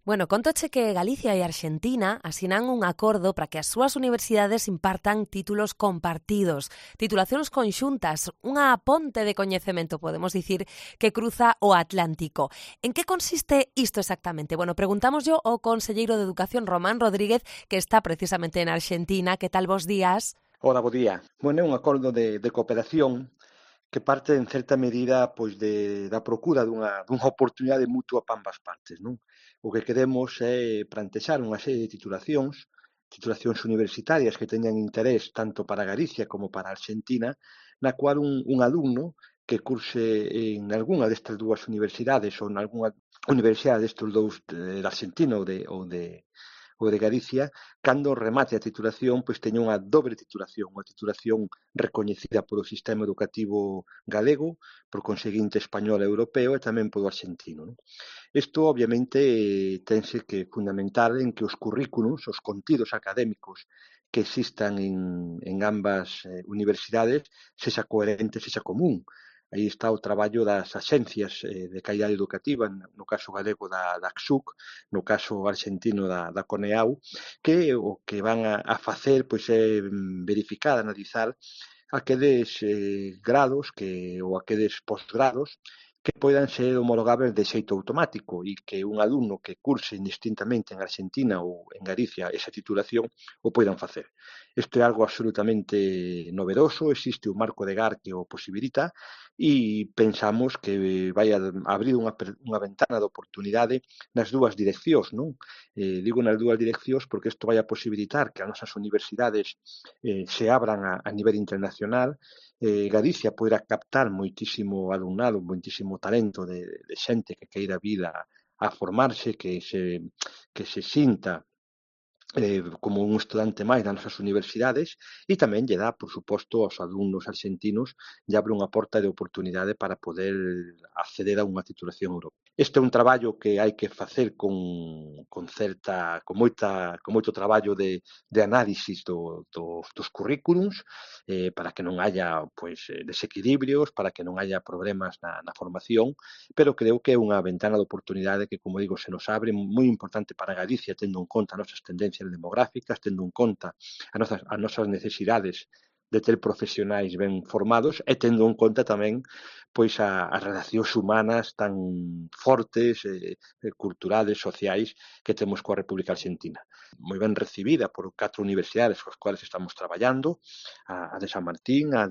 Bueno, contoche que Galicia e Arxentina asinan un acordo para que as súas universidades impartan títulos compartidos, titulacións conxuntas, unha ponte de coñecemento, podemos dicir, que cruza o Atlántico. En que consiste isto exactamente? Bueno, preguntámoslle ao conselleiro de Educación, Román Rodríguez, que está precisamente en Arxentina. Que tal, bos días? Hola, bo día. Bueno, é un acordo de cooperación que parte en certa medida da procura dunha oportunidade mutua para ambas partes, non? O que queremos é plantexar unha serie de titulacións universitarias que teñan interés tanto para Galicia como para Arxentina, na cual un alumno que curse en algunha destas dúas universidades ou en algunha universidade destes dous, de Arxentina ou de Galicia, cando remate a titulación, pois teña unha dobre titulación, unha titulación recoñecida polo sistema educativo galego, por conseguinte español e europeo e tamén polo arxentino, non? Isto, obviamente, tense que fundamentar en que os currículos, os contidos académicos que existan en ambas universidades, sexa coherente, sexa común. Aí está o traballo das axencias de calidade educativa, no caso galego da ACSUC, no caso arxentino da CONEAU, que o que van a facer pois é verificar, analizar aqueles grados ou aqueles posgrados que poidan ser homologables de xeito automático e que un alumno que curse indistintamente en Arxentina ou en Galicia esa titulación o poidan facer. Isto é algo absolutamente novedoso, existe un marco de GAR que o posibilita e pensamos que vai a abrir unha ventana de oportunidade nas dúas direccións, non? Digo nas dúas direccións porque isto vai a posibilitar que as nosas universidades se abran a nivel internacional. Galicia poderá captar moitísimo alumnado, moitísimo talento de xente que queira vir a formarse, que se sinta como un estudante máis das nosas universidades e tamén lle dá, por suposto, aos alumnos arxentinos lle abre unha porta de oportunidade para poder acceder a unha titulación europea. Este é un traballo que hai que facer con moito traballo de análisis dos currículums para que non haya desequilibrios, para que non haya problemas na formación, pero creo que é unha ventana de oportunidade que, como digo, se nos abre moi importante para Galicia, tendo en conta as nosas tendencias demográficas, tendo en conta as nosas necesidades de ter profesionais ben formados e tendo en conta tamén pois as relacións humanas tan fortes, culturales, sociais que temos coa República Arxentina. Moi ben recibida por 4 universidades coas cuales estamos traballando, a de San Martín, a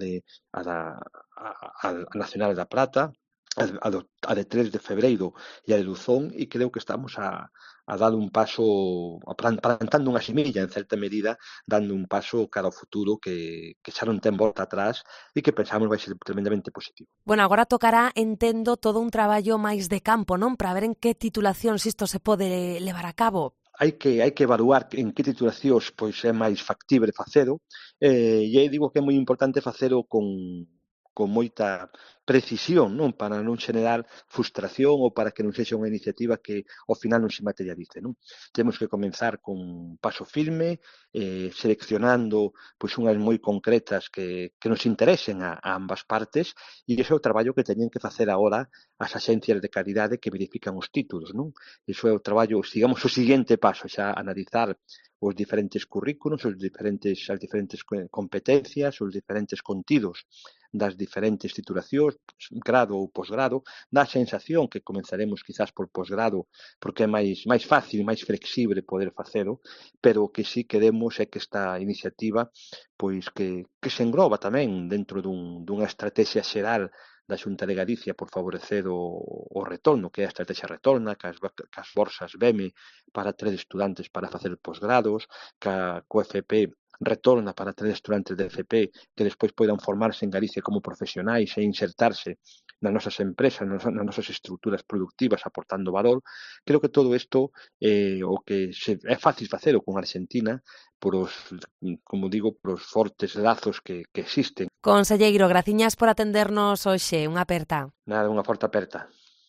Nacional da Plata, a de 3 de febreiro e a de Luzón, e creo que estamos a dar un paso, plantando unha semilla, en certa medida, dando un paso cara ao futuro que xa non ten volta atrás e que pensamos vai ser tremendamente positivo. Bueno, agora tocará, entendo, todo un traballo máis de campo, non? Para ver en que titulacións isto se pode levar a cabo. Hai que evaluar en que titulacións pois é máis factible facelo, e aí digo que é moi importante facelo con moita precisión, non, para non xenerar frustración ou para que non sexa unha iniciativa que ao final non se materialice, non? Temos que comenzar con un paso firme, seleccionando pois unhas moi concretas que nos interesen a ambas partes, e ese é o traballo que teñen que facer agora as axencias de calidade que verifican os títulos, non? Iso é o traballo, digamos, o seguinte paso, xa analizar os diferentes currículos, as diferentes competencias, os diferentes contidos das diferentes titulacións, grado ou posgrado. Dá a sensación que comenzaremos quizás por posgrado porque é máis fácil, máis flexible poder facelo, pero o que sí queremos é que esta iniciativa pois que se engloba tamén dentro dunha estrategia xeral da Xunta de Galicia por favorecer o retorno, que é a estrategia retorna, cas bolsas BEME para 3 estudantes para facer posgrados, co FP retorna para 3 estudantes de FP que despois poidan formarse en Galicia como profesionais e insertarse nas nosas empresas, nas nosas estruturas productivas aportando valor. Creo que todo isto o que é fácil facelo con Arxentina como digo, por os fortes lazos que existen. Conselleiro, graciñas por atendernos hoxe. Unha aperta. Nada, unha forte aperta.